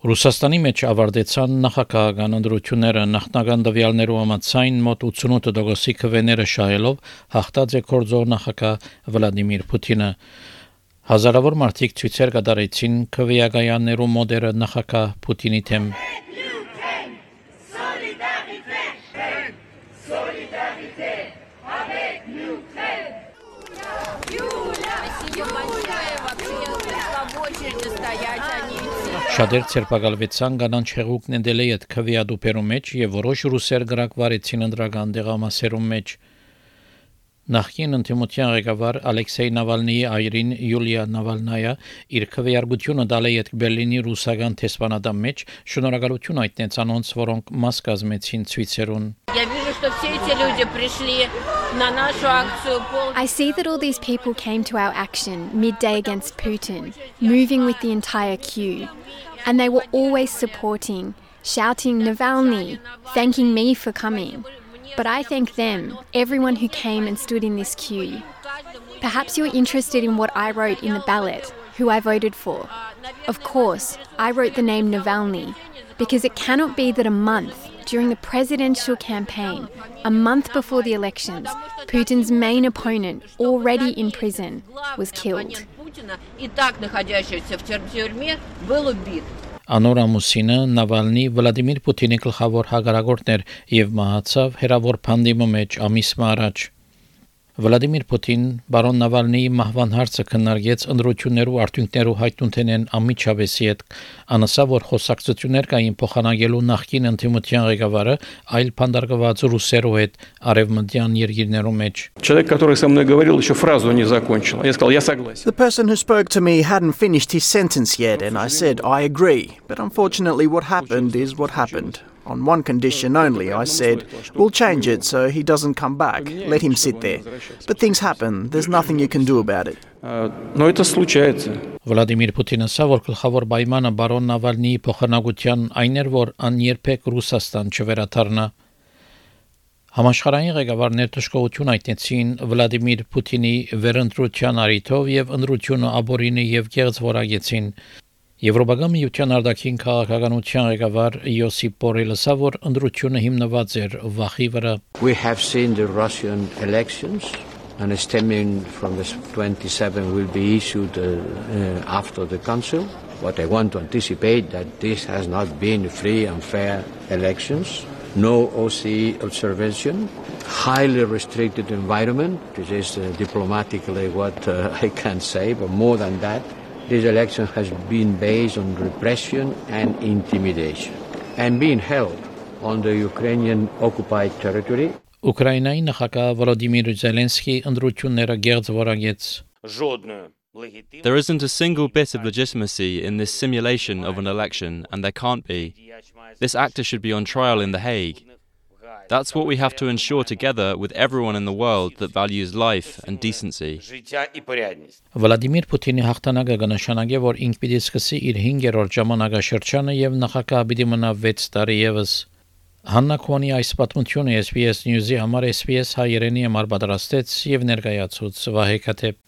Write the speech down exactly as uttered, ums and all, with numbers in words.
Ռուսաստանի մեջ ավարտեցան նախագահական ընտրությունները նախնական տվյալներու համաձայն մոտ ութսունութ տոկոսի քվեները շահելով հաղթած է կորձող նախագահ Վլադիմիր Պուտինը հազարավոր մարդիկ ցույցեր կատարեցին քվեակայաններու մոդերը նախագահ Պուտինի թեմ Շատեր ցերպակալվեցան կանանչ հեղուկ նեդելի այդ քվեադուպերու մեջ եւ որոշ ռուսեր գրակվարեցին ընդրական դեղամասերու մեջ Նախկին ընդդիմության ղեկավար Ալեքսեյ Նավալնիի այրին Յուլիա Նավալնայա իր քվեարկությունը տալ է այդ Բերլինի ռուսական տեսփանատան մեջ շնորհակալություն հայտնեց անոնց, որոնք մաս կազմեցին ցույցերուն I see that all these people came to our action midday against Putin, moving with the entire queue. And they were always supporting, shouting Navalny, thanking me for coming. But I thank them, everyone who came and stood in this queue. Perhaps you're interested in what I wrote in the ballot, who I voted for. Of course, I wrote the name Navalny, because it cannot be that a month during the presidential campaign, a month before the elections, Putin's main opponent, already in prison, was killed. Անոր ամուսինը Նավալնի Վլադիմիր Պուտինի գլխավոր հակարակորդն էր եւ մահացավ հերավոր փանդիմի մեջ ամիս առաջ Վլադիմիր Պուտին բարոն Նավալնիի մահվան հարցը քննարկեց ընդրություններու արդյունքներու հայտնութենեն ամիջավեսի հետ անասա որ խոսակցություններ կային փոխանակելու նախկին ընդդիմության ղեկավարը այլ փանդարգված ռուսերու հետ արևմտյան երկիրներու մեջ Человек, который со мной говорил, еще фразу не закончил. Я сказал, я согласен. The person who spoke to me hadn't finished his sentence yet and I said, I agree. But unfortunately what happened is what happened. On one condition only, I said, we'll change it so he doesn't come back. Let him sit there. But things happen. There's nothing you can do about it. Но это случается. Վլադիմիր Պուտինը ասավ, որ գլխավոր պայմանը բարոն Նավալնիի փոխանակության այն էր, որ աներբեք Ռուսաստան չվերադառնա Համաշխարհային ղեկավարներ դժգոհություն հայտնեցին Վլադիմիր Պուտինի վերընտրության արիթով եւ ընտրությունը աբորինի եւ գեղձվորագեցին Եվրոպական միության արտաքին քաղաքականության ղեկավար Յոսիփ Բորելը ասավ, որ ընտրությունը հիմնված էր վախի վրա We have seen the Russian elections and stemming from the twenty-seven will be issued uh, uh, after the council. What I want to anticipate that this has not been free and fair elections. No O S C E observation, highly restricted environment. This is uh, diplomatically what uh, I can say, but more than that, this election has been based on repression and intimidation and being held on the Ukrainian occupied territory. Ուկրաինայի նախագահ Վոլոդիմիր Զելենսկի ընտրությունները գեղձվորագեց There isn't a single bit of legitimacy in this simulation of an election, and there can't be. This actor should be on trial in The Hague. That's what we have to ensure together with everyone in the world that values life and decency. Վլադիմիր Պուտինի հաղթանակը կնշանակի, որ ինք պիտի սկսի իր հինգերորդ ժամանակաշրջանը եւ նախագահ պիտի մնա վեց տարի եւս։ Հաննա Քոնի այս պատմությունը S B S News-ի համար S B S հայերենի համար պատրաստեց եւ ներկայացուց Վահե Քաթեփ